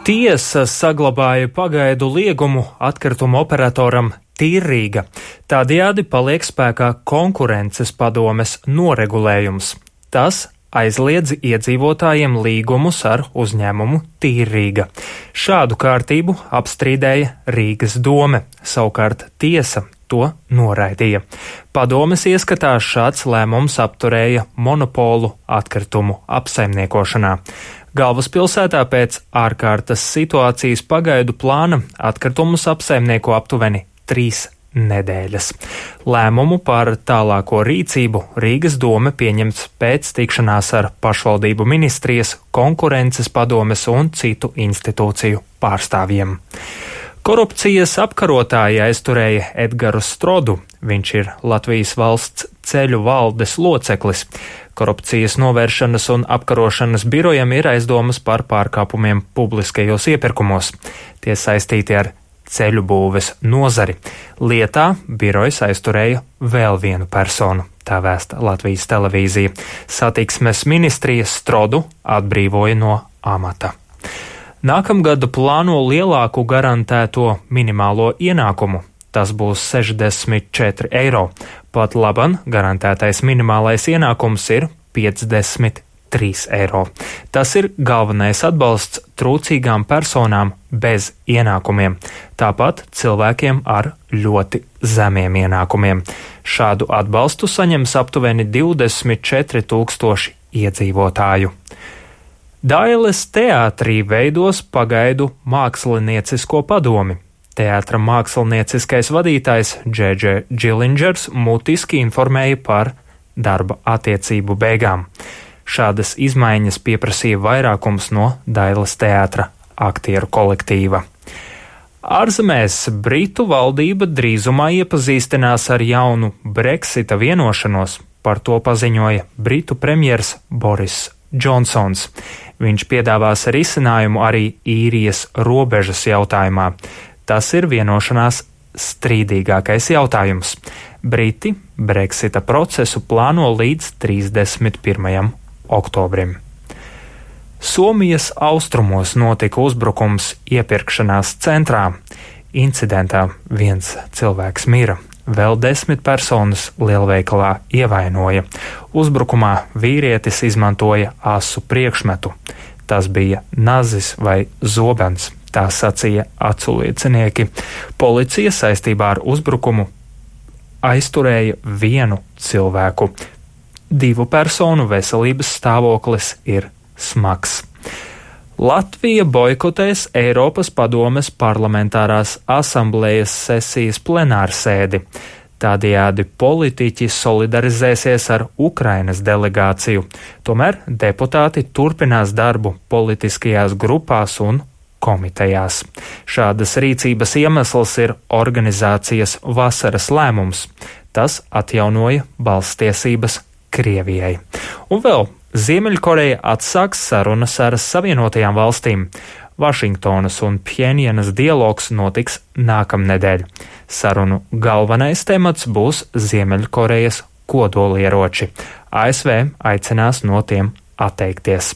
Tiesa saglabāja pagaidu liegumu atkritumu operatoram Tīrrīga. Tādējādi paliek spēkā konkurences padomes noregulējums. Tas aizliedz iedzīvotājiem līgumus ar uzņēmumu Tīrrīga. Šādu kārtību apstrīdēja Rīgas dome, savukārt tiesa to noraidīja. Padomes ieskatā šāds lēmums apturēja monopolu atkritumu apsaimniekošanā. Galvaspilsētā pēc ārkārtas situācijas pagaidu plāna atkritumus apsaimnieko aptuveni 3 nedēļas. Lēmumu par tālāko rīcību Rīgas dome pieņems pēc tikšanās ar pašvaldību ministrijas, konkurences padomes un citu institūciju pārstāvjiem. Korupcijas apkarotāji aizturēja Edgaru Strodu. Viņš ir Latvijas valsts ceļu valdes loceklis. Korupcijas novēršanas un apkarošanas birojam ir aizdomas par pārkāpumiem publiskajos iepirkumos. Tie saistīti ar ceļu būves nozari. Lietā birojs aizturēja vēl vienu personu, tā vēsta Latvijas televīzija. Satiksmes ministrija Strodu atbrīvoja no amata. Nākamgad plāno lielāku garantēto minimālo ienākumu. Tas būs 64 eiro. Pat laban garantētais minimālais ienākums ir 53 eiro. Tas ir galvenais atbalsts trūcīgām personām bez ienākumiem, tāpat cilvēkiem ar ļoti zemiem ienākumiem. Šādu atbalstu saņems aptuveni 24 000 iedzīvotāju. Dailes teātrī veidos pagaidu māksliniecisko padomi. Teātra mākslinieciskais vadītājs Dž. Džilingers mutiski informēja par darba attiecību beigām. Šādas izmaiņas pieprasīja vairākums no Dailes teātra aktieru kolektīva. Ārzemēs Britu valdība drīzumā iepazīstinās ar jaunu Brexita vienošanos. Par to paziņoja Britu premjers Boris Džonsons. Viņš piedāvās risinājumu arī īrijas robežas jautājumā. Tas ir vienošanās strīdīgākais jautājums. Briti Brexita procesu plāno līdz 31. oktobrim. Somijas austrumos notika uzbrukums iepirkšanās centrā. Incidentā viens cilvēks mira, vēl 10 personas lielveikalā ievainoja. Uzbrukumā vīrietis izmantoja asu priekšmetu. Tas bija nazis vai zobens, tā sacīja aculiecinieki. Policija saistībā ar uzbrukumu aizturēja vienu cilvēku. 2 personu veselības stāvoklis ir smags. Latvija boikotēs Eiropas padomes parlamentārās asamblējas sesijas plenārsēdi. Tādējādi politiķi solidarizēsies ar Ukrainas delegāciju. Tomēr deputāti turpinās darbu politiskajās grupās un komitejās. Šādas rīcības iemesls ir organizācijas vasaras lēmums. Tas atjaunoja balsstiesības Krievijai. Un vēl Ziemeļkoreja atsāks sarunas ar Savienotajām valstīm. Vašingtonas un Pjenjanas dialogs notiks nākamnedēļ. Sarunu galvenais temats būs Ziemeļkorejas kodolieroči. ASV aicinās no tiem atteikties.